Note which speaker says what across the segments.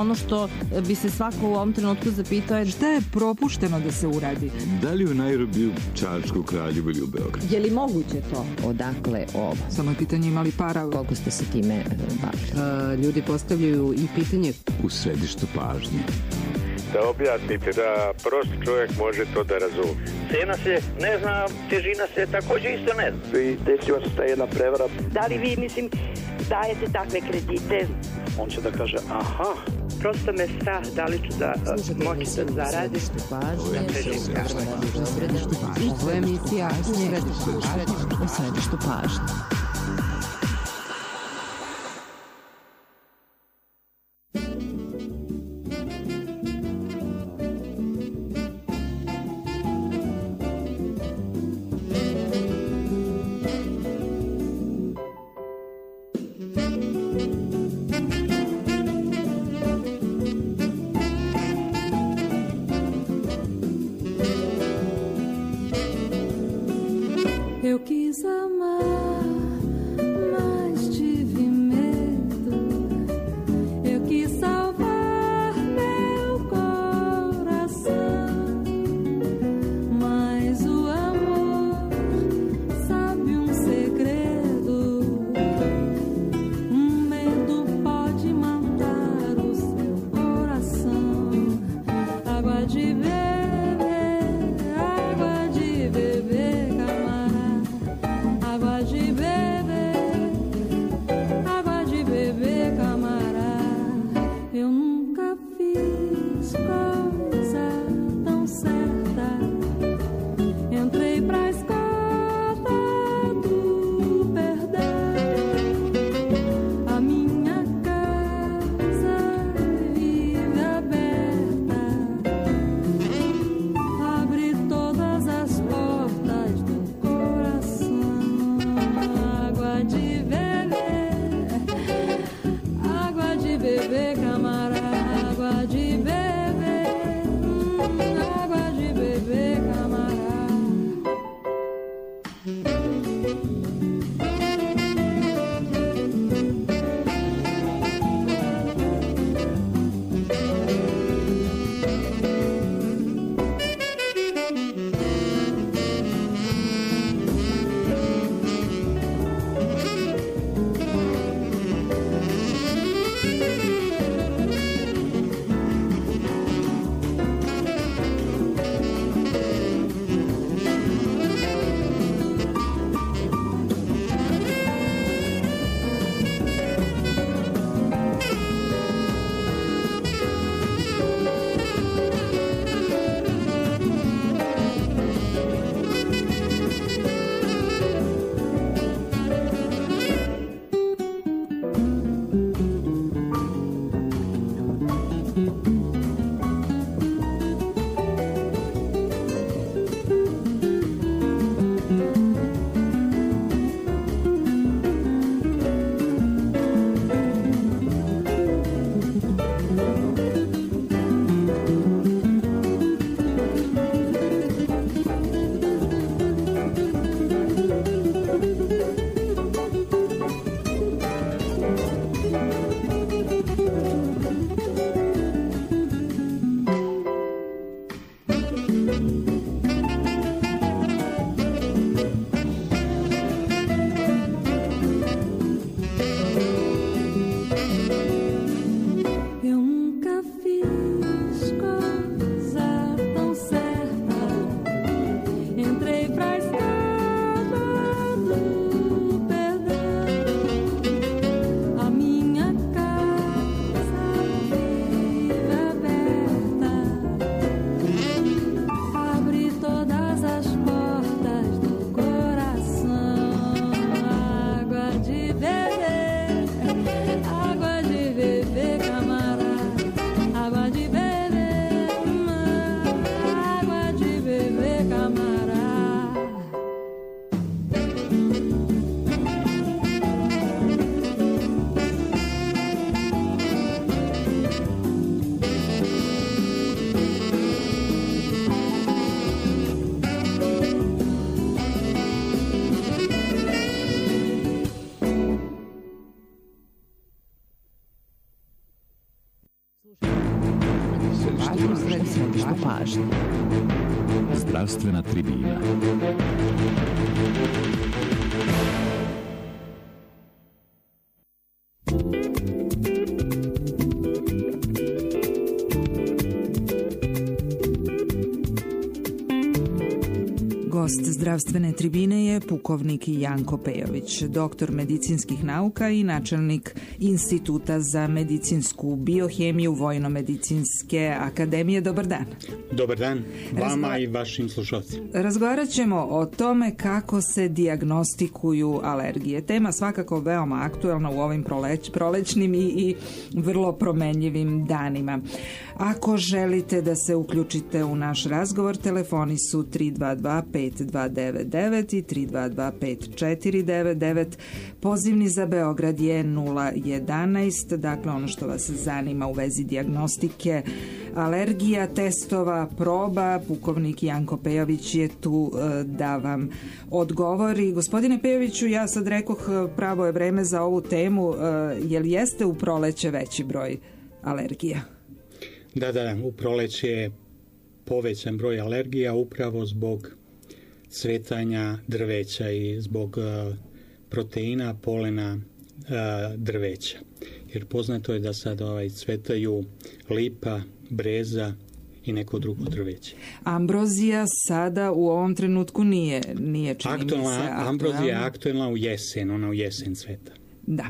Speaker 1: ono što bi se svako u ovom trenutku zapitao je
Speaker 2: šta je propušteno da se uradi.
Speaker 3: Da li u Nairobiju, Čačku, Kraljevu ili u Beogradu?
Speaker 1: Je li moguće to?
Speaker 4: Odakle ovo?
Speaker 2: Samo je pitanje imali para.
Speaker 4: Koliko ste se time bavili?
Speaker 2: Ljudi postavljaju i pitanje
Speaker 3: U središtu pažnje.
Speaker 5: Da objasnite, da prost čovjek može to da razumije.
Speaker 6: Cena se ne zna, težina se također isto ne zna.
Speaker 7: I desila se ta jedna prevara.
Speaker 8: Da li vi, dajete takve kredite?
Speaker 7: On će da kaže, aha.
Speaker 8: Prosto me strah da li ću da moći da zaradim.
Speaker 2: Ovo je emisija u središtu pažnje.
Speaker 9: Eu quis amar
Speaker 2: Središte pažnje.
Speaker 9: Zdravstvena tribina.
Speaker 2: Gost zdravstvene tribine je pukovnik Janko Pejović, doktor medicinskih nauka i načelnik Instituta za medicinsku biohemiju Vojno-medicinske akademije. Dobar dan.
Speaker 10: Dobar dan vama i vašim slušalcima.
Speaker 2: Razgovarat ćemo o tome kako se dijagnostikuju alergije. Tema svakako veoma aktuelna u ovim prolećnim i vrlo promenljivim danima. Ako želite da se uključite u naš razgovor, telefoni su 322-5299 i 322-5499. Pozivni za Beograd je 011. Dakle, ono što vas zanima u vezi dijagnostike alergija, testova, proba, pukovnik Janko Pejović je tu da vam odgovori. Gospodine Pejoviću, ja sad rekoh, pravo je vreme za ovu temu. Jel jeste u proleće veći broj alergija?
Speaker 10: Da, u proleće je povećan broj alergija upravo zbog cvetanja drveća i zbog proteina polena drveća. Jer poznato je da sad cvetaju lipa, breza i neko drugo drveće.
Speaker 2: Ambrozija sada u ovom trenutku nije čini mi se aktualna.
Speaker 10: Ambrozija je aktualna u jesen, ona u jesen cveta.
Speaker 2: Da,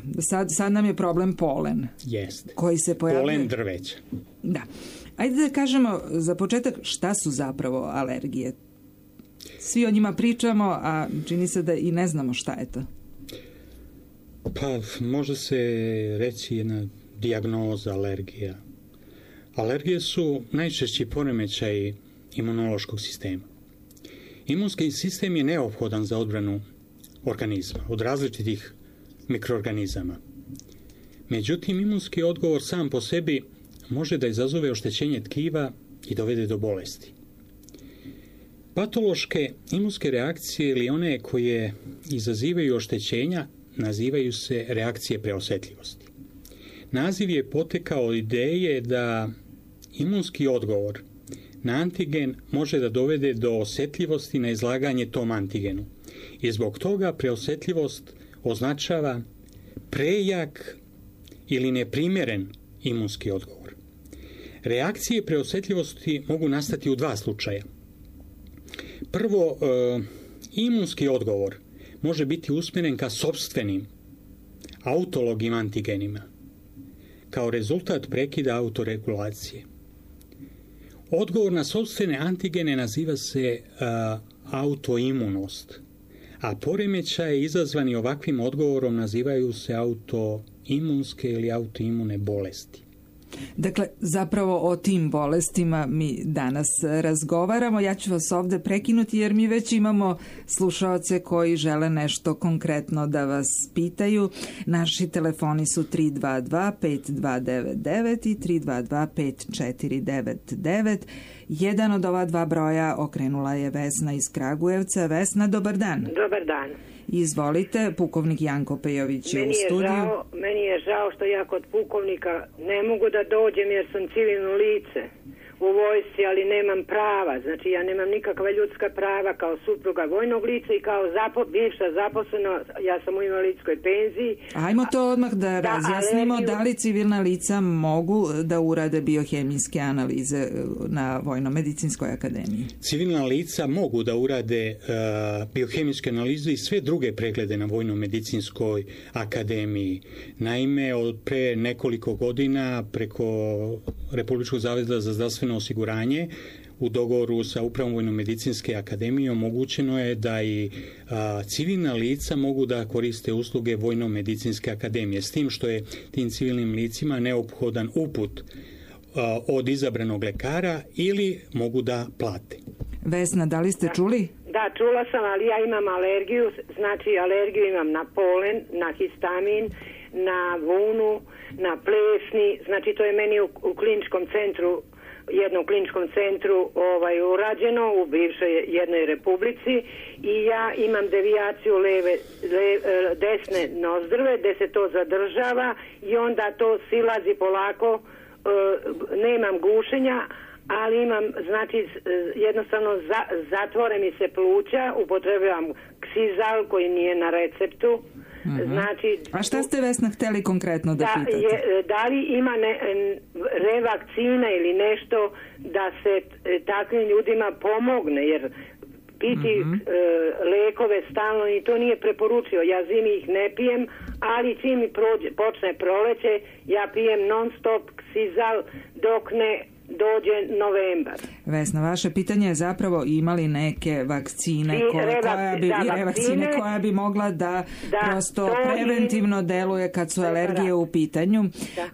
Speaker 2: sad nam je problem polen.
Speaker 10: Jeste.
Speaker 2: Koji se pojavljuje.
Speaker 10: Polen drveća.
Speaker 2: Da. Ajde da kažemo za početak šta su zapravo alergije. Svi o njima pričamo, a čini se da i ne znamo šta je to.
Speaker 10: Pa, može se reći jedna dijagnoza alergija. Alergije su najčešći poremećaj imunološkog sistema. Imunski sistem je neophodan za odbranu organizma od različitih mikroorganizama. Međutim, imunski odgovor sam po sebi može da izazove oštećenje tkiva i dovede do bolesti. Patološke imunske reakcije ili one koje izazivaju oštećenja nazivaju se reakcije preosetljivosti. Naziv je potekao od ideje da imunski odgovor na antigen može da dovede do osetljivosti na izlaganje tom antigenu. I zbog toga preosetljivost označava prejak ili neprimjeren imunski odgovor. Reakcije preosetljivosti mogu nastati u dva slučaja. Prvo, imunski odgovor može biti usmjeren ka sopstvenim autolognim antigenima kao rezultat prekida autoregulacije. Odgovor na sopstvene antigene naziva se autoimunost, a poremećaje izazvani ovakvim odgovorom nazivaju se autoimunske ili autoimune bolesti.
Speaker 2: Dakle, zapravo o tim bolestima mi danas razgovaramo. Ja ću vas ovdje prekinuti jer mi već imamo slušaoce koji žele nešto konkretno da vas pitaju. Naši telefoni su 322-5299 i 322-5499. Jedan od ova dva broja okrenula je Vesna iz Kragujevca. Vesna, dobar dan.
Speaker 8: Dobar dan.
Speaker 2: Izvolite, pukovnik Janko Pejović je u studiju.
Speaker 8: Meni je žao što ja kod pukovnika ne mogu da dođem jer sam civilno lice u vojsci, ali nemam prava. Znači ja nemam nikakva ljudska prava kao supruga vojnog lica i kao bivša zaposlena, ja sam u invalidskoj penziji.
Speaker 2: Ajmo to odmah da razjasnimo, da li civilna lica mogu da urade biohemijske analize na Vojno-medicinskoj akademiji?
Speaker 10: Civilna lica mogu da urade biohemijske analize i sve druge preglede na Vojno-medicinskoj akademiji. Naime, od pre nekoliko godina preko Republičkog zavoda za zdravstveno osiguranje u dogovoru sa Upravom Vojno-medicinske akademije omogućeno je da i civilna lica mogu da koriste usluge Vojno-medicinske akademije, s tim što je tim civilnim licima neophodan uput od izabranog lekara ili mogu da plate.
Speaker 2: Vesna, da li ste čuli?
Speaker 8: Da, čula sam, ali ja imam alergiju, znači alergiju imam na polen, na histamin, na vunu, na plesni, znači to je meni u kliničkom centru, jednom kliničkom centru urađeno u bivšoj jednoj republici i ja imam devijaciju desne nozdrve gde se to zadržava i onda to silazi polako nemam gušenja, ali imam, znači, jednostavno zatvore mi se pluća, upotrebljavam Xizal koji nije na receptu. Znači,
Speaker 2: a šta ste, Vesna, hteli konkretno da pitate?
Speaker 8: Da li ima revakcina ili nešto da se takvim ljudima pomogne, jer piti lekove stalno i to nije preporučio. Ja zimi ih ne pijem, ali čim mi počne proleće, ja pijem non stop Xizal dok ne dođe novembar.
Speaker 2: Vesna, vaše pitanje je zapravo imali neke vakcine koja bi mogla da prosto preventivno deluje kad su alergije u pitanju.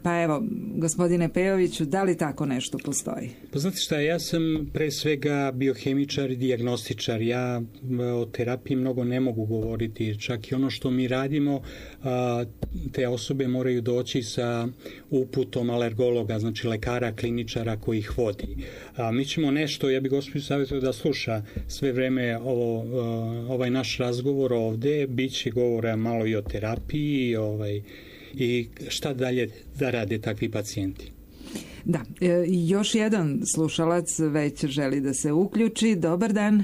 Speaker 2: Pa evo, gospodine Pejoviću, da li tako nešto postoji?
Speaker 10: Pa znate šta, ja sam pre svega biohemičar i dijagnostičar. Ja o terapiji mnogo ne mogu govoriti. Čak i ono što mi radimo, te osobe moraju doći sa uputom alergologa, znači lekara, kliničara koji ih vodi. Mi ćemo nešto, ja bih gospođu savjetio da sluša sve vreme ovaj naš razgovor ovde, bit će govora malo i o terapiji i šta dalje da rade takvi pacijenti.
Speaker 2: Da, još jedan slušalac već želi da se uključi. Dobar dan.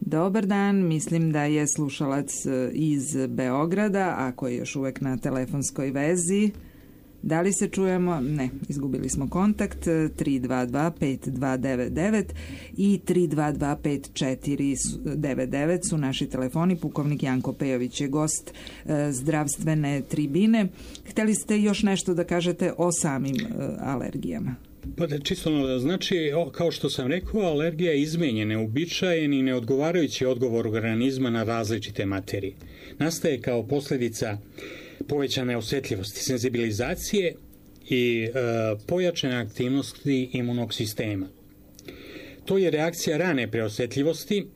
Speaker 2: Dobar dan, mislim da je slušalac iz Beograda, ako je još uvek na telefonskoj vezi. Da li se čujemo? Ne, izgubili smo kontakt. 322-5299 i 322-5499 su naši telefoni. Pukovnik Janko Pejović je gost zdravstvene tribine. Hteli ste još nešto da kažete o samim alergijama?
Speaker 10: Pa da čisto znači, kao što sam rekao, alergija je izmenjen, neuobičajen i neodgovarajući odgovor organizma na različite materije. Nastaje kao posljedica povećane osjetljivosti, senzibilizacije i pojačane aktivnosti imunog sistema. To je reakcija rane preosjetljivosti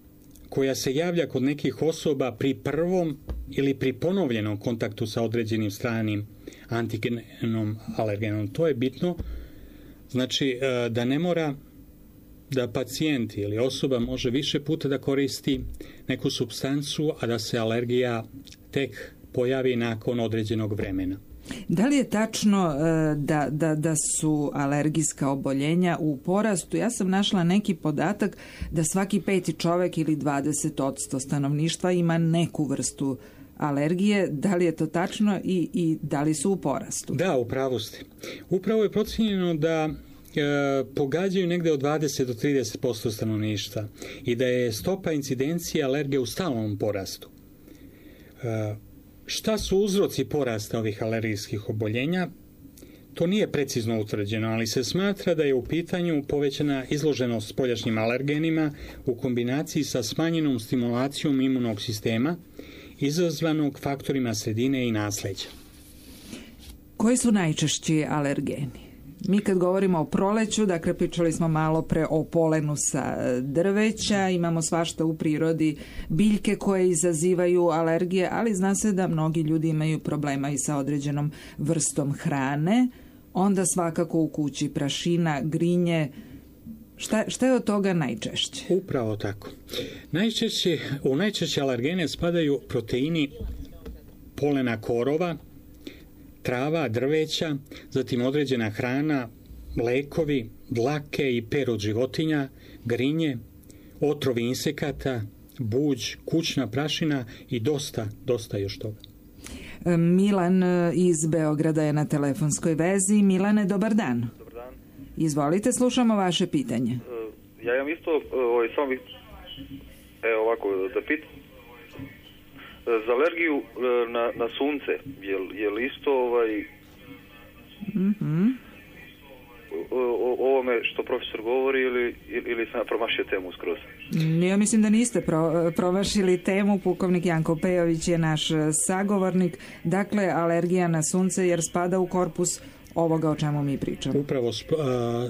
Speaker 10: koja se javlja kod nekih osoba pri prvom ili pri ponovljenom kontaktu sa određenim stranim antigenom alergenom. To je bitno, znači da ne mora da pacijent ili osoba može više puta da koristi neku supstancu, a da se alergija tek pojavi nakon određenog vremena.
Speaker 2: Da li je tačno da su alergijska oboljenja u porastu? Ja sam našla neki podatak da svaki 5. čovek ili 20% stanovništva ima neku vrstu alergije. Da li je to tačno i da li su u porastu?
Speaker 10: Da, u pravu ste. Upravo je procijenjeno da pogađaju negde od 20 do 30% stanovništva i da je stopa incidencije alergije u stalnom porastu. Šta su uzroci porasta ovih alergijskih oboljenja? To nije precizno utvrđeno, ali se smatra da je u pitanju povećana izloženost spoljašnjim alergenima u kombinaciji sa smanjenom stimulacijom imunog sistema izazvanog faktorima sredine i nasleđa.
Speaker 2: Koji su najčešći alergeni? Mi kad govorimo o proleću, dakle pričali smo malo pre o polenu sa drveća, imamo svašta u prirodi, biljke koje izazivaju alergije, ali zna se da mnogi ljudi imaju problema i sa određenom vrstom hrane, onda svakako u kući prašina, grinje. Šta je od toga najčešće?
Speaker 10: Upravo tako. U najčešće alergene spadaju proteini polena korova, trava, drveća, zatim određena hrana, lekovi, dlake i per od životinja, grinje, otrovi insekata, buđ, kućna prašina i dosta još toga.
Speaker 2: Milan iz Beograda je na telefonskoj vezi. Milane, dobar dan.
Speaker 11: Dobar dan.
Speaker 2: Izvolite, slušamo vaše pitanje.
Speaker 11: Ja imam isto, samo bih, ovako, da pitam. Za alergiju na sunce, je li isto ovome što profesor govori ili sam promašio temu skroz?
Speaker 2: Ja mislim da niste promašili temu. Pukovnik Janko Pejović je naš sagovornik. Dakle, alergija na sunce jer spada u korpus ovoga o čemu mi pričamo.
Speaker 10: Upravo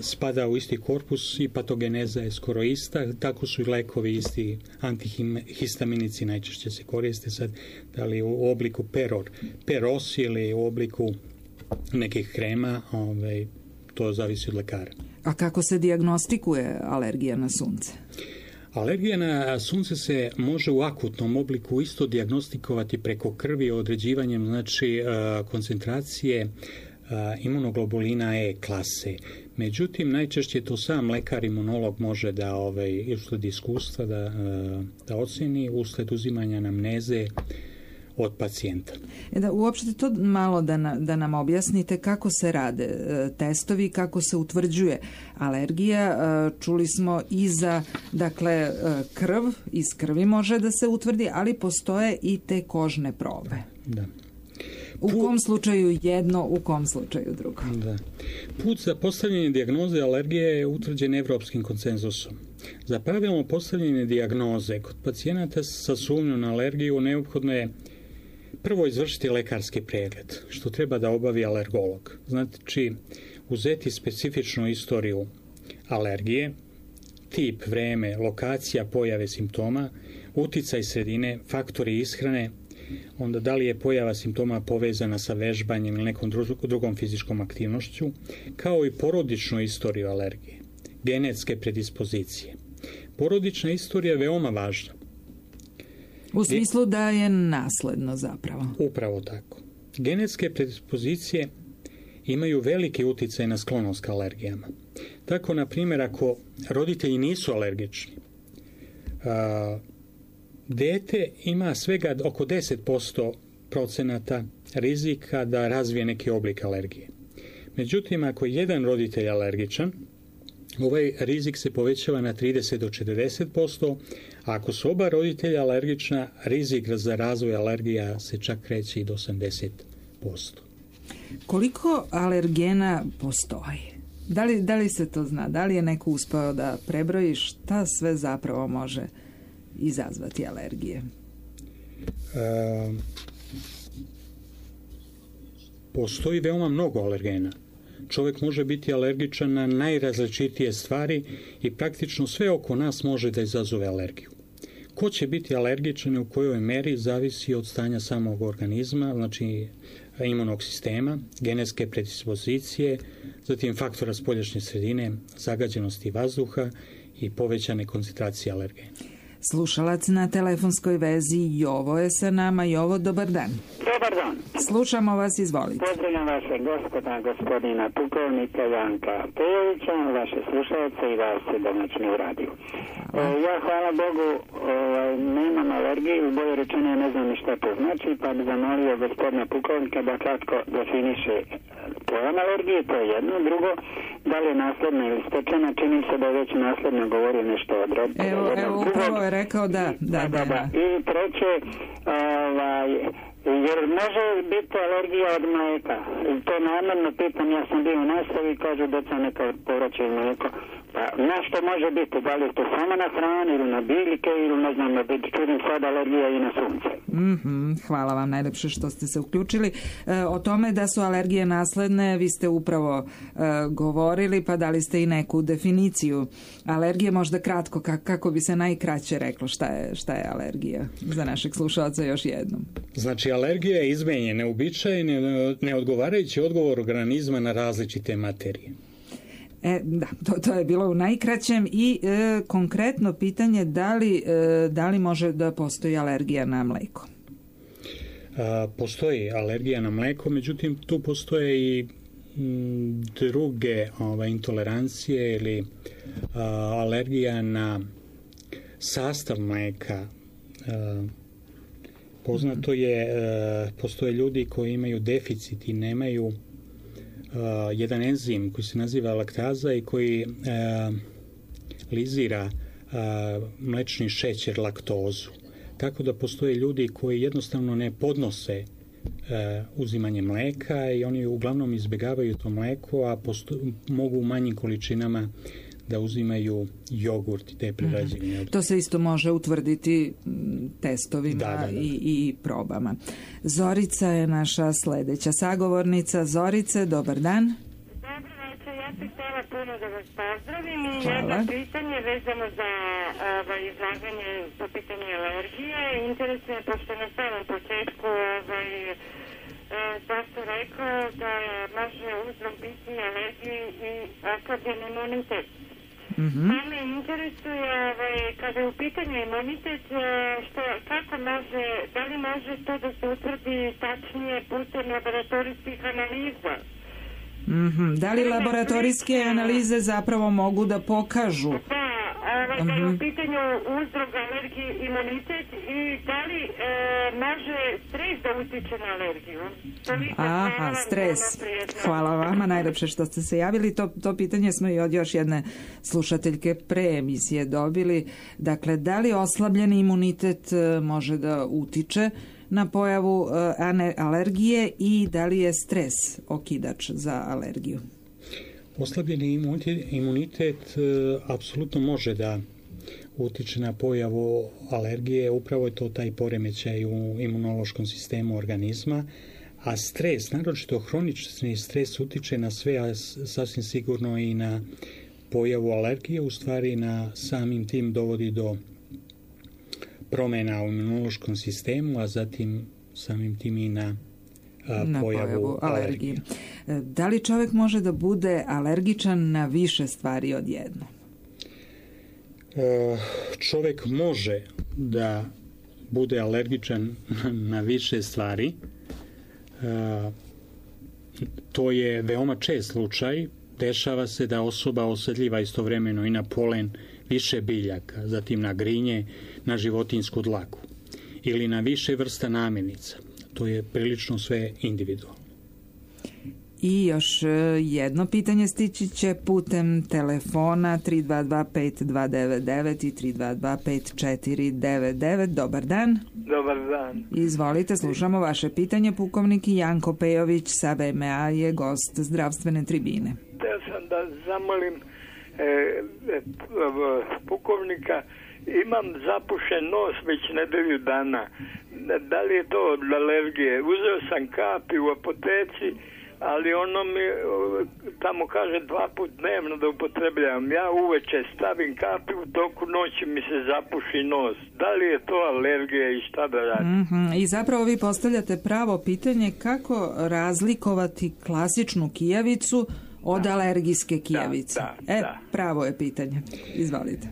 Speaker 10: spada u isti korpus i patogeneza je skoro ista, tako su i lekovi isti, antihistaminici najčešće se koriste sad, da li u obliku peros ili u obliku nekih krema, to zavisi od lekara.
Speaker 2: A kako se dijagnostikuje alergija na sunce?
Speaker 10: Alergija na sunce se može u akutnom obliku isto dijagnostikovati preko krvi određivanjem, znači koncentracije imunoglobulina E klase. Međutim, najčešće to sam lekar imunolog može da usled iskustva da oceni usled uzimanja anamneze od pacijenta.
Speaker 2: Uopšte to malo da nam objasnite kako se rade testovi, kako se utvrđuje alergija. Čuli smo i za krv, iz krvi može da se utvrdi, ali postoje i te kožne probe.
Speaker 10: Da.
Speaker 2: U kom slučaju jedno, u kom slučaju drugo?
Speaker 10: Da. Put za postavljanje dijagnoze alergije je utvrđen evropskim konsenzusom. Za pravilno postavljanje dijagnoze kod pacijenata sa sumnjom na alergiju neophodno je prvo izvršiti lekarski pregled, što treba da obavi alergolog. Znači, uzeti specifičnu istoriju alergije, tip, vreme, lokacija pojave simptoma, uticaj sredine, faktori ishrane, onda da li je pojava simptoma povezana sa vežbanjem ili nekom drugom fizičkom aktivnošću, kao i porodičnu istoriju alergije, genetske predispozicije. Porodična istorija je veoma važna.
Speaker 2: U smislu da je nasledno zapravo.
Speaker 10: Upravo tako. Genetske predispozicije imaju veliki uticaj na sklonost ka alergijama. Tako, na primjer, ako roditelji nisu alergični, dete ima svega oko 10% rizika da razvije neki oblik alergije. Međutim, ako je jedan roditelj alergičan, ovaj rizik se povećava na 30 do 40%, a ako su oba roditelja alergična, rizik za razvoj alergija se čak kreće i do 80%.
Speaker 2: Koliko alergena postoji? Da li se to zna? Da li je neko uspeo da prebroji šta sve zapravo može izazvati alergije?
Speaker 10: Postoji veoma mnogo alergena. Čovjek može biti alergičan na najrazličitije stvari i praktično sve oko nas može da izazove alergiju. Ko će biti alergičan i u kojoj meri zavisi od stanja samog organizma, znači imunog sistema, genetske predispozicije, zatim faktora spoljašnje sredine, zagađenosti vazduha i povećane koncentracije alergena.
Speaker 2: Slušalac na telefonskoj vezi Jovo je sa nama. Jovo, dobar dan.
Speaker 12: Dobar dan.
Speaker 2: Slušamo vas, izvolite.
Speaker 12: Pozdravljam vaše gospodina pukovnika Janka Pejovića, vaše slušalce i vas domaćini u radiju. Ja, hvala Bogu, nemam alergiju, bolje rečeno ne znam ni šta to znači, pa bi zamolio gospodina pukovnika da kratko definiše pojam alergije, to je jedno. Drugo, da li je nasledna ili stečena, čini se da je već nasledno govorio nešto od roda.
Speaker 2: Evo, upravo je rekao da.
Speaker 12: I treće, jer može biti alergija od mlijeka. To namjerno pitam, ja sam bio u nastavi i kažu da sam neka povraćaju mlijeko. Pa na što može biti? Da li je to samo na hrani ili na biljke ili ne znam, čudim sad alergija i na sunce.
Speaker 2: Hvala vam najlepše što ste se uključili. O tome da su alergije nasledne vi ste upravo govorili, pa dali ste i neku definiciju alergije, možda kratko, kako bi se najkraće reklo šta je alergija za našeg slušalca još jednom.
Speaker 10: Znači, alergija je izmenjen, neuobičajen, neodgovarajući odgovor organizma na različite materije.
Speaker 2: Da, to je bilo u najkraćem i konkretno pitanje da li može da postoji alergija na mleko?
Speaker 10: Postoji alergija na mleko, međutim tu postoje i druge intolerancije ili alergija na sastav mleka. Poznato je, postoje ljudi koji imaju deficit i nemaju jedan enzim koji se naziva laktaza i koji lizira mlečni šećer, laktozu. Tako da postoje ljudi koji jednostavno ne podnose uzimanje mleka i oni uglavnom izbjegavaju to mleko, a mogu u manjim količinama da uzimaju jogurt i te prerađevine.
Speaker 2: To se isto može utvrditi testovima
Speaker 10: da.
Speaker 2: I probama. Zorica je naša sljedeća sagovornica. Zorice, dobar dan.
Speaker 13: Dobro večer, ja bih htjela puno da vas pozdravim i jedno pitanje vezano za izlaganje po pitanju alergije. Interesuje, pošto na samom početku dosta rekao da može uzrok biti alergiji i oslabljen imunitet. Pa me interesuje, kada je u pitanju imunitet, kako može, da li može to da se utvrdi tačnije putem laboratorijskih analiza?
Speaker 2: Da li laboratorijske analize zapravo mogu da pokažu?
Speaker 13: Da, da je u pitanju uzrok alergije, imunitet i da li može stres da utiče na alergiju?
Speaker 2: Aha, stres. Hvala vama, najlepše što ste se javili. To pitanje smo i od još jedne slušateljke pre emisije dobili. Dakle, da li oslabljeni imunitet može da utiče na pojavu alergije i da li je stres okidač za alergiju?
Speaker 10: Oslabljeni imunitet apsolutno može da utiče na pojavu alergije, upravo je to taj poremećaj u imunološkom sistemu organizma, a stres, naročito hronični stres, utiče na sve, a sasvim sigurno i na pojavu alergije, u stvari na samim tim dovodi do promjena u imunološkom sistemu, a zatim samim tim i na pojavu alergije.
Speaker 2: Da li čovjek može da bude alergičan na više stvari odjednom?
Speaker 10: Čovjek može da bude alergičan na više stvari. To je veoma čest slučaj. Dešava se da osoba osjetljiva istovremeno i na polen više biljaka, zatim na grinje, na životinjsku dlaku ili na više vrsta namirnica. To je prilično sve individualno.
Speaker 2: I još jedno pitanje stići će putem telefona 322-5299 i 322-5499. Dobar dan.
Speaker 14: Dobar dan.
Speaker 2: Izvolite, slušamo vaše pitanje. Pukovnik Janko Pejović sa VMA je gost zdravstvene tribine.
Speaker 14: Htio sam da zamolim pukovnika, imam zapušen nos već nedelju dana. Da li je to od alergije? Uzeo sam kapi u apoteci, ali ono mi tamo kaže 2 puta dnevno da upotrebljavam. Ja uveče stavim kapi, u toku noći mi se zapuši nos. Da li je to alergija i šta da radim?
Speaker 2: I zapravo vi postavljate pravo pitanje kako razlikovati klasičnu kijavicu od alergijske kijavice. Pravo je pitanje. Izvolite.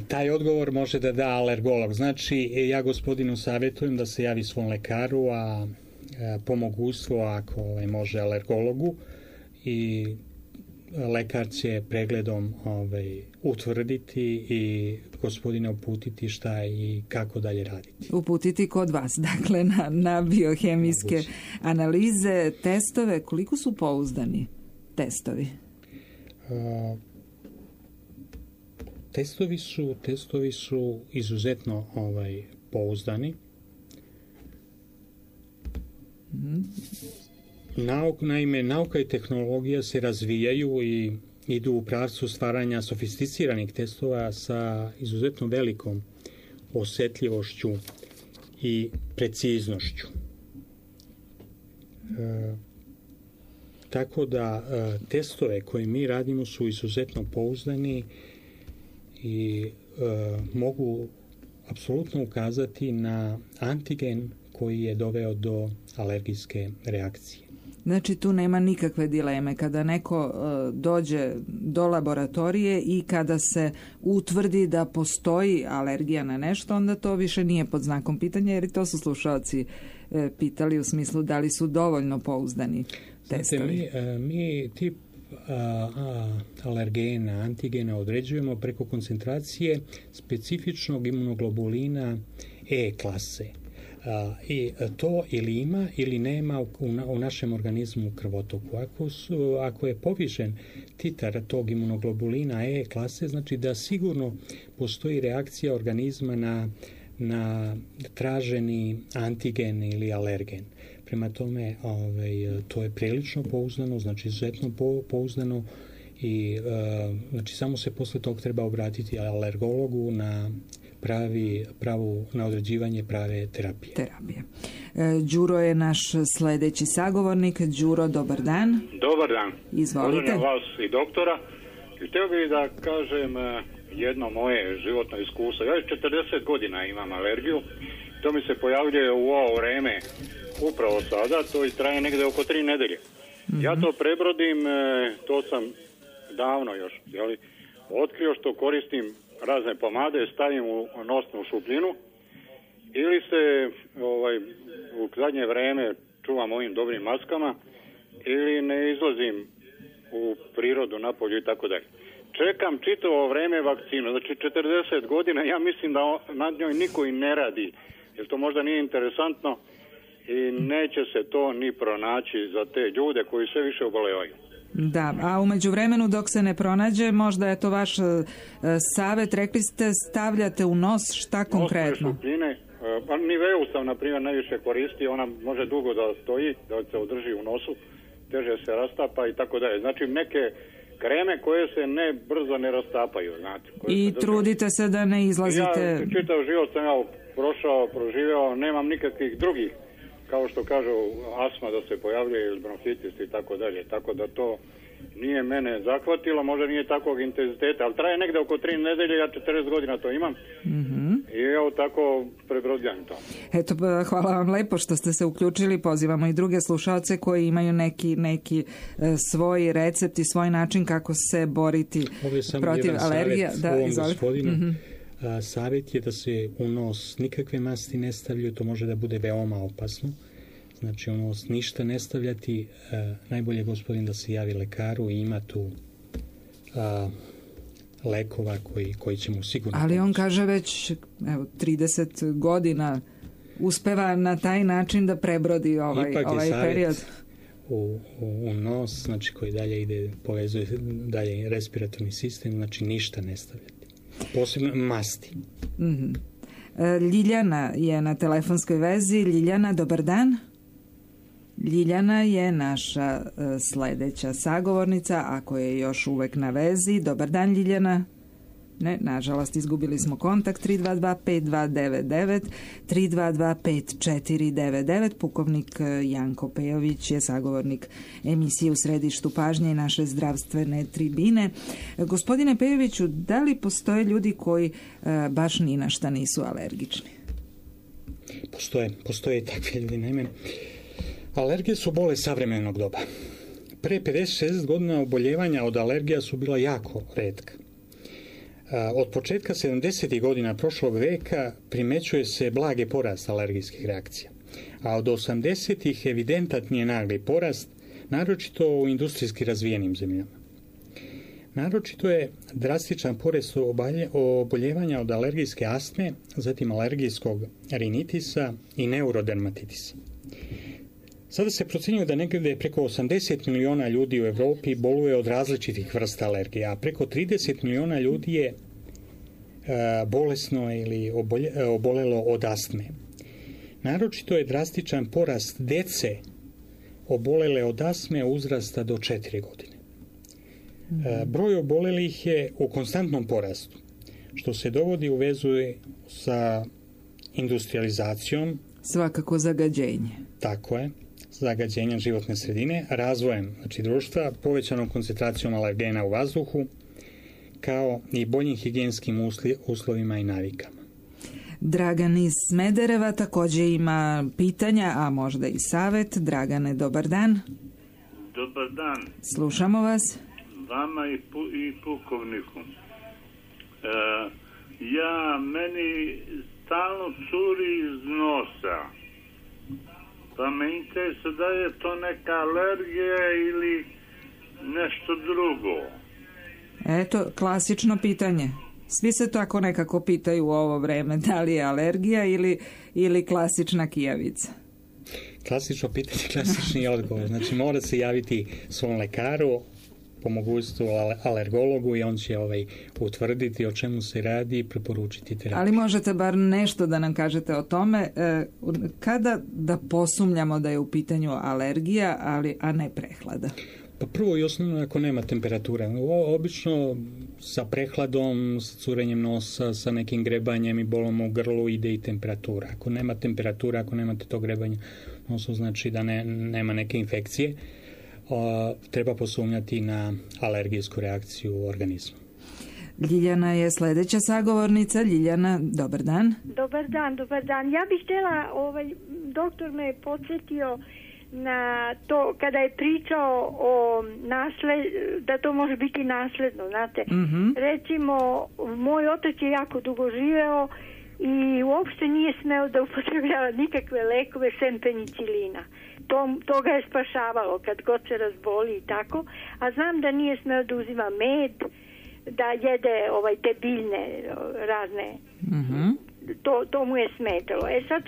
Speaker 10: Taj odgovor može da da alergolog. Znači, ja gospodinu savjetujem da se javi svom lekaru, a po mogućstvu ako može alergologu, i lekar će pregledom utvrditi i gospodina uputiti šta i kako dalje raditi.
Speaker 2: Uputiti kod vas, dakle, na biohemijske analize, testove. Koliko su pouzdani testovi?
Speaker 10: Testovi su izuzetno pouzdani. Naime, nauka i tehnologija se razvijaju i idu u pravcu stvaranja sofisticiranih testova sa izuzetno velikom osjetljivošću i preciznošću. Tako da testove koje mi radimo su izuzetno pouzdani i mogu apsolutno ukazati na antigen koji je doveo do alergijske reakcije.
Speaker 2: Znači tu nema nikakve dileme. Kada neko dođe do laboratorije i kada se utvrdi da postoji alergija na nešto, onda to više nije pod znakom pitanja, jer i to su slušalci pitali u smislu da li su dovoljno pouzdani testovi.
Speaker 10: Mi tip alergena, antigena određujemo preko koncentracije specifičnog imunoglobulina E klase. I to ili ima ili nema u našem organizmu u krvotoku. Ako je povišen titar tog imunoglobulina E klase, znači da sigurno postoji reakcija organizma na traženi antigen ili alergen. Prema tome, to je prilično pouzdano, znači izuzetno pouzdano i znači samo se posle tog treba obratiti alergologu na na određivanje prave terapije.
Speaker 2: Đuro je naš sljedeći sagovornik. Đuro, dobar dan.
Speaker 15: Dobar dan.
Speaker 2: Izvolite.
Speaker 15: Pozdravljam vas i doktora. Htio bih da kažem jedno moje životno iskustvo. Ja 40 godina imam alergiju. To mi se pojavljuje u ovo vreme upravo sada. To i traje negdje oko 3 nedelje. Ja to prebrodim, to sam davno još otkrio što koristim razne pomade, stavim u nosnu šupljinu ili se u zadnje vreme čuvam ovim dobrim maskama ili ne izlazim u prirodu, napolju i tako dalje. Čekam čitavo vreme vakcinu, znači 40 godina, ja mislim da nad njoj niko i ne radi, jer to možda nije interesantno i neće se to ni pronaći za te ljude koji sve više obolevaju.
Speaker 2: Da, a u međuvremenu dok se ne pronađe, možda je to vaš savjet, rekli ste stavljate u nos, šta konkretno?
Speaker 15: Nos šupljine, Niveu sam na primjer najviše koristi, ona može dugo da stoji, da se održi u nosu, teže se rastapa i tako dalje. Znači neke kreme koje se brzo ne rastapaju, znate.
Speaker 2: I trudite se da ne izlazite...
Speaker 15: Ja čitav život sam ja proživeo, nemam nikakvih drugih, kao što kažu, astma da se pojavljuje ili bronhitis i tako dalje. Tako da to nije mene zahvatilo, možda nije takvog intenziteta, ali traje negde oko 3 nedelje, ja 40 godina to imam. I evo tako prebrodljam to.
Speaker 2: Eto, hvala vam lepo što ste se uključili, pozivamo i druge slušalce koji imaju neki svoj recept i svoj način kako se boriti protiv alergija.
Speaker 10: Da, izvolite. Savjet je da se u nos nikakve masti ne stavljaju, to može da bude veoma opasno. Znači u nos ništa ne stavljati, najbolje gospodin da se javi lekaru i ima tu lekova koji će mu sigurno...
Speaker 2: Ali on kaže već 30 godina uspeva na taj način da prebrodi ovaj period.
Speaker 10: U nos, znači koji dalje ide, povezuje dalje respiratorni sistem, znači ništa ne stavljati. Posebno masti.
Speaker 2: Ljiljana je na telefonskoj vezi. Ljiljana, dobar dan. Ljiljana je naša sledeća sagovornica, ako je još uvek na vezi. Dobar dan, Ljiljana. Ne, nažalost, izgubili smo kontakt. 322-5299, 322-5499. Pukovnik Janko Pejović je sagovornik emisije U središtu pažnje i naše zdravstvene tribine. Gospodine Pejoviću, da li postoje ljudi koji baš ni na šta nisu alergični?
Speaker 10: Postoje takve ljudi, naime. Alergije su bolest savremenog doba. Pre 50-60 godina oboljevanja od alergija su bila jako retka. Od početka 70. godina prošlog veka primećuje se blage porast alergijskih reakcija, a od 80. evidentan je nagli porast, naročito u industrijski razvijenim zemljama. Naročito je drastičan porast oboljevanja od alergijske astme, zatim alergijskog rinitisa i neurodermatitisa. Sada se procjenjuje da negdje preko 80 miliona ljudi u Evropi boluje od različitih vrsta alergija, a preko 30 miliona ljudi je bolesno ili obolelo od astme. Naročito je drastičan porast dece obolele od astme uzrasta do 4 godine. Broj obolelih je u konstantnom porastu, što se dovodi u vezu sa industrializacijom.
Speaker 2: Svakako zagađenje.
Speaker 10: Tako je. Zagađenjem životne sredine, razvojem društva, povećanom koncentracijom alergena u vazduhu, kao i boljim higijenskim uslovima i navikama.
Speaker 2: Dragan iz Smedereva također ima pitanja, a možda i savjet. Dragane, dobar dan.
Speaker 16: Dobar dan.
Speaker 2: Slušamo vas.
Speaker 16: Vama i pukovniku. Meni stalno curi iz nosa. Pa me interesuje da je to neka alergija ili nešto drugo.
Speaker 2: Eto, klasično pitanje. Svi se tako nekako pitaju u ovo vreme, da li je alergija ili klasična kijavica.
Speaker 10: Klasično pitanje, klasični odgovor. Znači mora se javiti svom lekaru, po mogućstvu alergologu, i on će utvrditi o čemu se radi i preporučiti terapiju.
Speaker 2: Ali možete bar nešto da nam kažete o tome, kada da posumnjamo da je u pitanju alergija, a ne prehlada?
Speaker 10: Pa prvo i osnovno ako nema temperature. Obično sa prehladom, sa curenjem nosa, sa nekim grebanjem i bolom u grlu ide i temperatura. Ako nema temperatura, ako nemate to grebanje nosu, znači da nema neke infekcije. Treba posumnjati na alergijsku reakciju u organizmu.
Speaker 2: Ljiljana je sledeća sagovornica. Ljiljana, dobar dan.
Speaker 13: Dobar dan. Ja bih htjela, doktor me je podsjetio na to kada je pričao o da to može biti nasledno, znate. Recimo, moj otac je jako dugo živeo i uopšte nije smeo da upotrebljava nikakve lekove sem penicilina.
Speaker 17: to ga je spašavalo kad god se razboli i tako, a znam da nije smeo da uzima med, da jede te biljne razne, to mu je smetalo. Sad,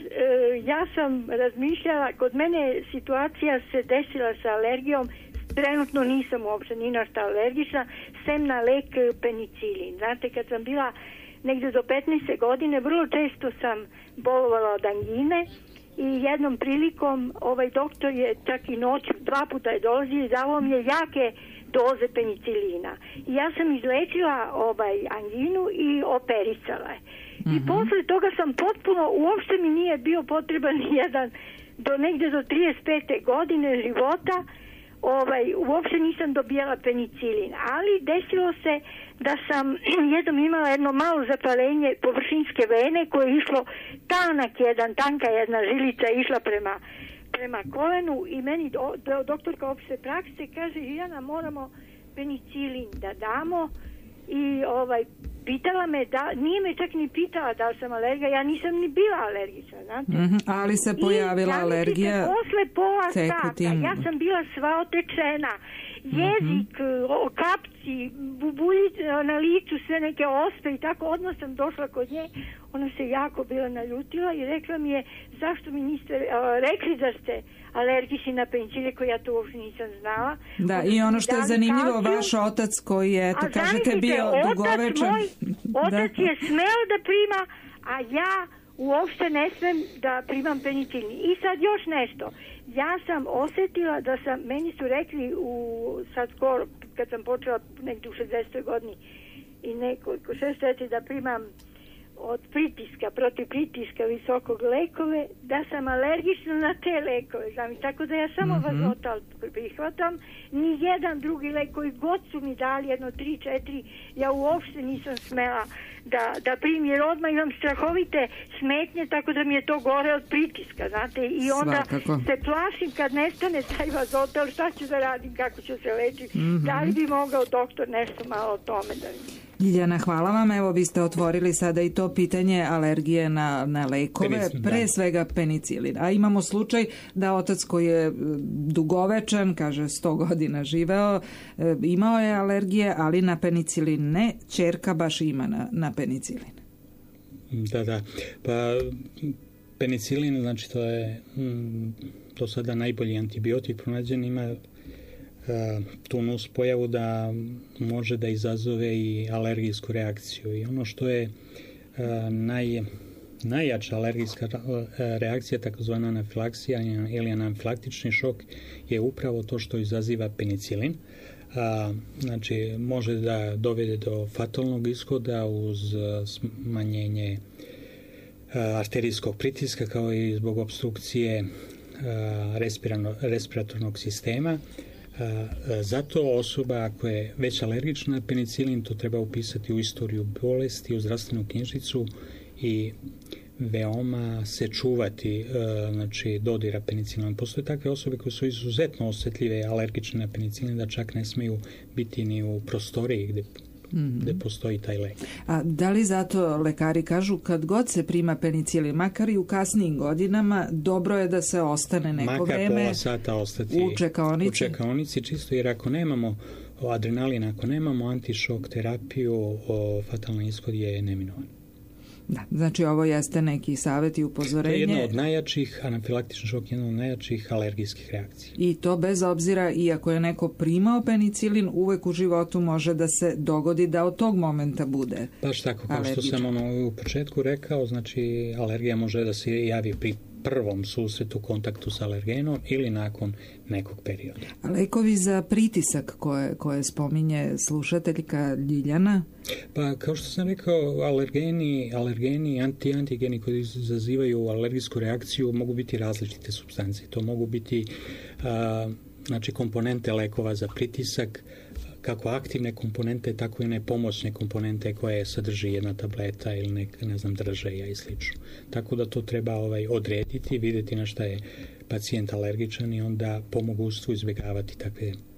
Speaker 17: ja sam razmišljala, kod mene situacija se desila sa alergijom, trenutno nisam uopšte ni na šta alergična, sem na lek penicilin. Znate, kad sam bila negde do 15. godine, vrlo često sam bolovala od angine i jednom prilikom doktor je čak i noć 2 puta je dolazio i dao mi je jake doze penicilina. I ja sam izlečila anginu i operisala je. I posle toga sam potpuno, uopšte mi nije bio potreban jedan do negde do 35. godine života, uopšte nisam dobijala penicilin, ali desilo se da sam jednom imala jedno malo zapaljenje površinske vene koje je išlo tanka jedna žilica išla prema kolenu i meni doktorka opšte prakse kaže, Žiljana, moramo penicilin da damo i pitala me nije me čak ni pitala da li sam alergija, ja nisam ni bila alergična, znate.
Speaker 2: Ali se pojavila alergija
Speaker 17: posle pola sata, ja sam bila sva otečena, jezik, kapci, bubuljice na licu, sve neke ospe i tako, odmah sam došla kod nje, ona se jako bila naljutila i rekla mi je, zašto mi niste rekli da ste alergični na penicilin, koji ja to uopšte nisam znala.
Speaker 2: Da, i ono što je zanimljivo, vaš otac koji je, eto, kažete, bio dugovečan.
Speaker 17: Otac je smeo da prima, a ja uopšte ne smem da primam penicilin. I sad još nešto. Ja sam osetila da meni su rekli sad skoro, kad sam počela negdje u 60. godini i nekoliko 6 da primam od pritiska, protiv pritiska visokog lekove, da sam alergična na te lekove, znam, tako da ja samo Vazotal prihvatam, ni jedan drugi lek koji god su mi dali, 1, 3, 4, ja uopšte nisam smela da primim, jer odmah imam strahovite smetnje, tako da mi je to gore od pritiska, znate, i onda se plašim kad nestane taj Vazotal, šta ću da radim, kako ću se lečiti, da li bi mogao doktor nešto malo o tome da mi...
Speaker 2: Ljiljana, hvala vam. Evo, vi ste otvorili sada i to pitanje alergije na lekove, pre svega penicilin. A imamo slučaj da otac koji je dugovečan, kaže 100 godina živeo, imao je alergije, ali na penicilin ne. Ćerka baš ima na penicilin.
Speaker 10: Da. Pa penicilin, znači to je do sada najbolji antibiotik pronađen, ima tu nus pojavu da može da izazove i alergijsku reakciju. I ono što je najjača alergijska reakcija, takozvana anafilaksija ili anafilaktični šok, je upravo to što izaziva penicilin. Znači, može da dovede do fatalnog ishoda uz smanjenje arterijskog pritiska, kao i zbog obstrukcije respiratornog sistema. Zato osoba ako je već alergična na penicilin, to treba upisati u istoriju bolesti, u zdravstvenu knjižicu i veoma se čuvati dodira penicilinom. Postoje takve osobe koje su izuzetno osjetljive alergične na penicilin, da čak ne smeju biti ni u prostoriji gde postoji taj lek.
Speaker 2: A da li zato lekari kažu kad god se prima penicilin, makar i u kasnijim godinama, dobro je da se ostane neko vreme
Speaker 10: pola sata ostati
Speaker 2: u čekaonici?
Speaker 10: U čekaonici, čisto jer ako nemamo adrenalin, ako nemamo antišok terapiju, fatalni ishod je neminovan.
Speaker 2: Da, znači ovo jeste neki savjet i upozorenje.
Speaker 10: To je jedno od najjačih, anafilaktični šok je jedno od najjačih alergijskih reakcija.
Speaker 2: I to bez obzira, iako je neko primao penicilin, uvek u životu može da se dogodi da od tog momenta bude
Speaker 10: baš tako, kao što sam u početku rekao, znači alergija može da se javi pri prvom susretu, kontaktu s alergenom ili nakon nekog perioda.
Speaker 2: A lekovi za pritisak koje spominje slušateljka Ljiljana?
Speaker 10: Pa kao što sam rekao, alergeni, antigeni koji izazivaju alergijsku reakciju mogu biti različite supstance. To mogu biti komponente lekova za pritisak, kako aktivne komponente, tako i one pomoćne komponente koje sadrži jedna tableta ili držaja i slično. Tako da to treba odrediti, vidjeti na šta je pacijent alergičan i onda po mogućstvu izbjegavati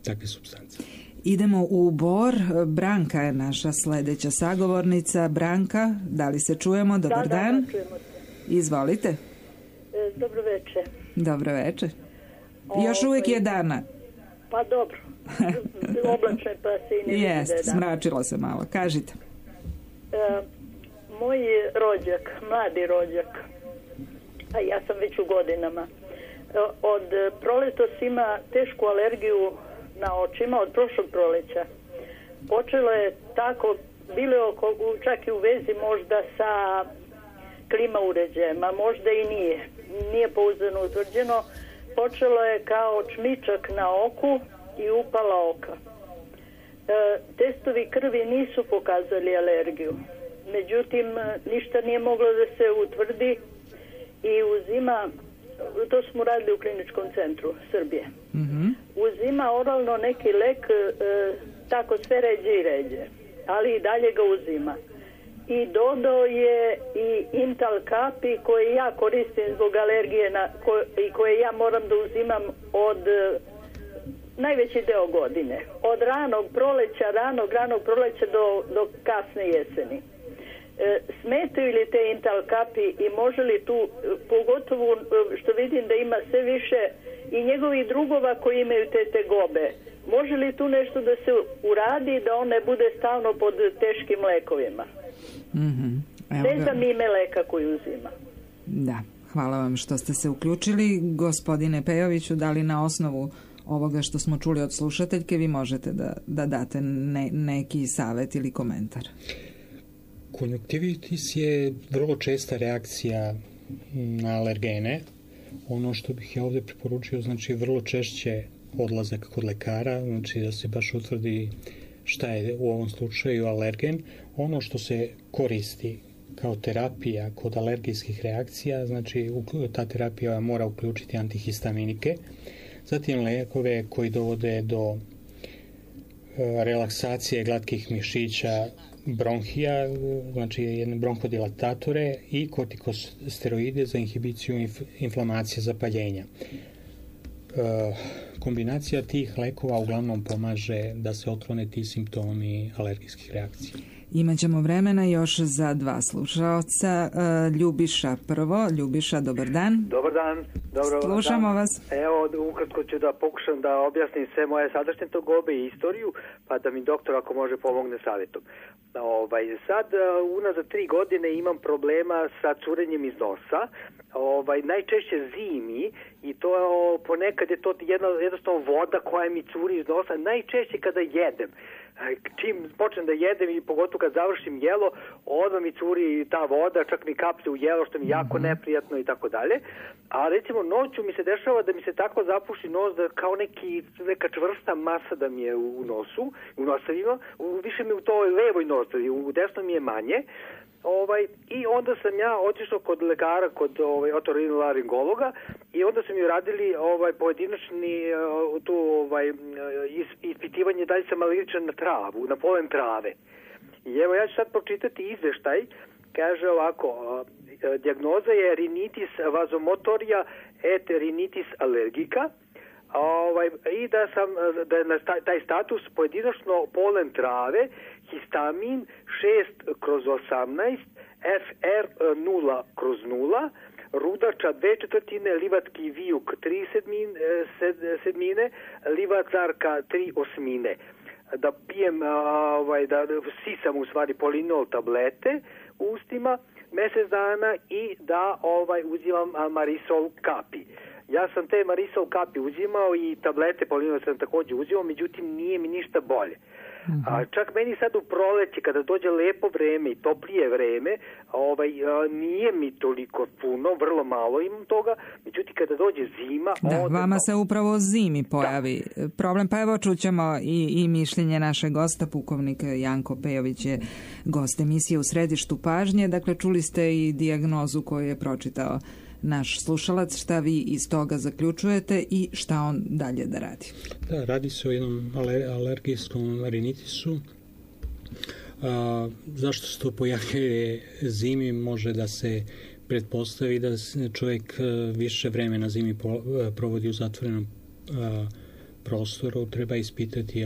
Speaker 10: takve supstance.
Speaker 2: Idemo u Bor. Branka je naša sljedeća sagovornica. Branka, da li se čujemo? Dobar dan.
Speaker 18: Da, čujemo.
Speaker 2: Izvolite.
Speaker 18: Dobro večer.
Speaker 2: Dobro večer. Još uvijek je dana.
Speaker 18: Pa dobro. Oblačno pa se i ne vidi da je dana.
Speaker 2: Smračilo se malo. Kažite.
Speaker 18: Moj rođak, mladi rođak, a ja sam već u godinama, od proletos ima tešku alergiju na očima od prošlog proleća. Počelo je tako, bilo je čak i u vezi možda sa klima uređajem, a možda i nije pouzdano utvrđeno. Počelo je kao čmičak na oku i upala oka. Testovi krvi nisu pokazali alergiju. Međutim, ništa nije moglo da se utvrdi i uzima, to smo radili u kliničkom centru Srbije, uzima oralno neki lek, tako sve ređe i ređe, ali i dalje ga uzima. I dodao je i Intal kapi koje ja koristim zbog alergije i koje ja moram da uzimam od najveći deo godine. Od ranog proleća do kasne jeseni. Smetaju li te Intal kapi i može li tu, pogotovo što vidim da ima sve više i njegovih drugova koji imaju te tegobe, može li tu nešto da se uradi da on ne bude stalno pod teškim lekovima? Ne znam ime leka koji uzima.
Speaker 2: Da, hvala vam što ste se uključili. Gospodine Pejoviću, da li na osnovu ovoga što smo čuli od slušateljke vi možete da date neki savjet ili komentar?
Speaker 10: Konjunktivitis je vrlo česta reakcija na alergene. Ono što bih ja ovdje preporučio, znači vrlo češće odlazak kod lekara, znači da se baš utvrdi šta je u ovom slučaju alergen. Ono što se koristi kao terapija kod alergijskih reakcija, znači ta terapija mora uključiti antihistaminike, zatim lekove koji dovode do relaksacije glatkih mišića bronhija, znači jedne bronhodilatatore i kortikosteroide za inhibiciju inflamacije zapaljenja. Kombinacija tih lekova uglavnom pomaže da se otklone ti simptomi alergijskih reakcija.
Speaker 2: Imaćemo vremena još za dva slušaoca. Ljubiša prvo. Ljubiša, dobar dan.
Speaker 19: Dobar dan.
Speaker 2: Slušamo vas.
Speaker 19: Evo, ukratko ću da pokušam da objasnim sve moje sadašnje tegobe i istoriju, pa da mi doktor ako može pomogne savjetom. Sad, unazad 3 godine imam problema sa curenjem iz nosa, najčešće zimi i to ponekad je to jednostavno voda koja mi curi iz nosa, najčešće kada jedem. Čim počnem da jedem i pogotovo kad završim jelo, odmah mi curi ta voda, čak mi kaplje u jelo što mi je jako neprijatno i tako dalje. A recimo noću mi se dešava da mi se tako zapuši nos da kao neka čvrsta masa da mi je u nosu, u nosavima, više mi u toj levoj nosavi, u desnom mi je manje. I onda sam ja otišao kod lekara, kod otorinolaringologa i onda su mi uradili pojedinačni ispitivanje da li sam alergičan na travu, na polen trave. I evo ja ću sad pročitati izveštaj, kaže ovako, dijagnoza je rinitis vazomotorija et rinitis allergica, i da je na taj status pojedinačno polen trave, histamin 6/18, FR 0/0, rudača 2/4, livatki vijuk 3/7, livacarka 3/8. Da pijem, da sisam u stvari polinol tablete u ustima mjesec dana i da uzimam marisol kapi. Ja sam te marisol kapi uzimao i tablete polinol sam također uzimao, međutim nije mi ništa bolje. A čak meni sad u proleće kada dođe lepo vreme i toplije vreme, nije mi toliko puno, vrlo malo imam toga, međutim kada dođe zima...
Speaker 2: Vama se upravo zimi pojavi problem, pa evo čućemo i mišljenje našeg gosta, pukovnik Janko Pejović je gost emisije U središtu pažnje, dakle čuli ste i dijagnozu koju je pročitao naš slušalac, šta vi iz toga zaključujete i šta on dalje da radi?
Speaker 10: Da, radi se o jednom alergijskom rinitisu. Zašto se to pojavljuje zimi? Može da se pretpostavi da čovjek više vremena zimi provodi u zatvorenom prostoru. Treba ispitati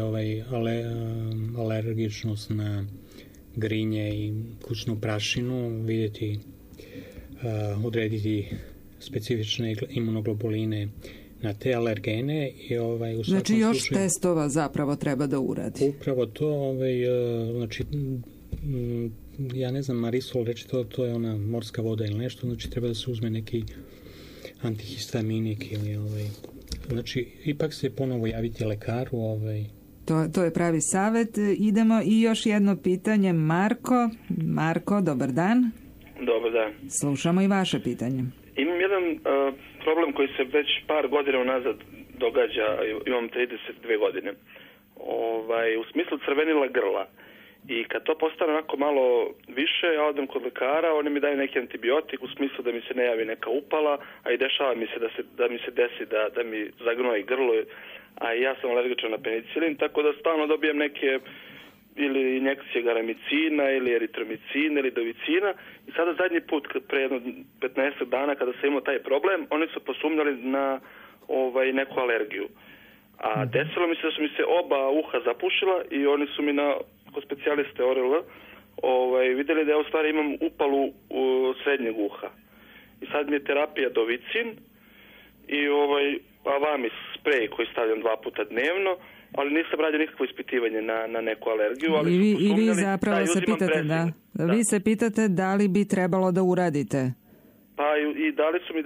Speaker 10: alergičnost na grinje i kućnu prašinu, vidjeti odrediti specifične imunoglobuline na te alergene i u
Speaker 2: znači još
Speaker 10: slučaju,
Speaker 2: testova zapravo treba da uradi.
Speaker 10: Upravo to, znači ja ne znam, Marisol reče to je ona morska voda ili nešto, znači treba da se uzme neki antihistaminik ili znači ipak se ponovo javiti lekaru.
Speaker 2: To je pravi savjet. Idemo i još jedno pitanje. Marko, dobar dan.
Speaker 20: Dobar dan.
Speaker 2: Slušamo i vaše pitanje.
Speaker 20: Imam jedan problem koji se već par godina unazad događa, imam 32 godine. U smislu crvenila grla. I kad to postane onako malo više, ja odem kod lekara, oni mi daju neki antibiotik u smislu da mi se ne javi neka upala, a i dešava mi se da mi se desi da mi zagnoji grlo, a ja sam alergičan na penicilin, tako da stalno dobijem neke ili injekcije garamicina ili eritromicina ili dovicina. I sada zadnji put, pre jedno 15 dana kada sam imao taj problem, oni su posumnjali na neku alergiju. A desilo mi se da su mi se oba uha zapušila i oni su mi kod specijaliste ORL vidjeli da ja u stvari imam upalu srednjeg uha. I sad mi je terapija dovicin i Avamis sprej koji stavljam 2 puta dnevno, ali nisam radio nikakvo ispitivanje na neku alergiju. Ali
Speaker 2: I vi zapravo se pitate, vi se pitate da li bi trebalo da uradite?
Speaker 20: Pa i dali su mi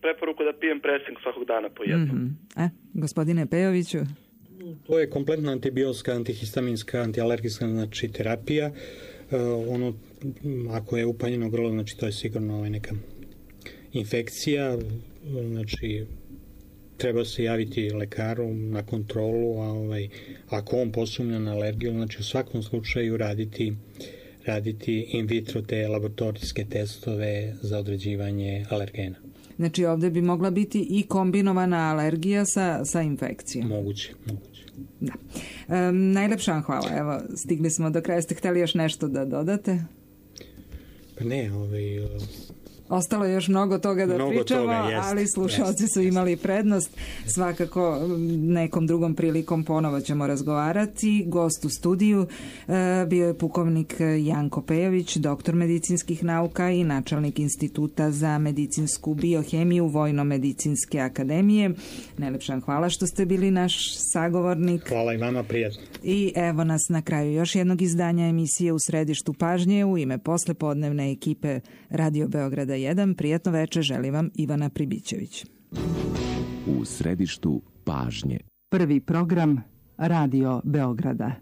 Speaker 20: preporuku da pijem presing svakog dana po jednom.
Speaker 2: Gospodine Pejoviću?
Speaker 10: To je kompletna antibiotska, antihistaminska, antialergijska, znači terapija. Ako je upaljeno grlo, znači to je sigurno neka infekcija, znači treba se javiti lekaru na kontrolu, ako on posumnja na alergiju, znači u svakom slučaju raditi in vitro te laboratorijske testove za određivanje alergena.
Speaker 2: Znači ovdje bi mogla biti i kombinovana alergija sa infekcijom.
Speaker 10: Moguće.
Speaker 2: Da. Najlepša vam hvala. Evo, stigli smo do kraja. Ste htjeli još nešto da dodate?
Speaker 10: Pa ne,
Speaker 2: Ostalo je još mnogo toga da pričamo, ali slušalci su imali prednost. Svakako nekom drugom prilikom ponovo ćemo razgovarati. Gost u studiju bio je pukovnik Janko Pejović, doktor medicinskih nauka i načelnik Instituta za medicinsku biohemiju Vojno-medicinske akademije. Najlepša vam hvala što ste bili naš sagovornik.
Speaker 10: Hvala i vama, prijatno.
Speaker 2: I evo nas na kraju još jednog izdanja emisije U središtu pažnje. U ime poslepodnevne ekipe Radio Beograda 1. Prijatno večer želi vam Ivana Pribićević.
Speaker 9: U središtu pažnje.
Speaker 21: Prvi program Radio Beograda.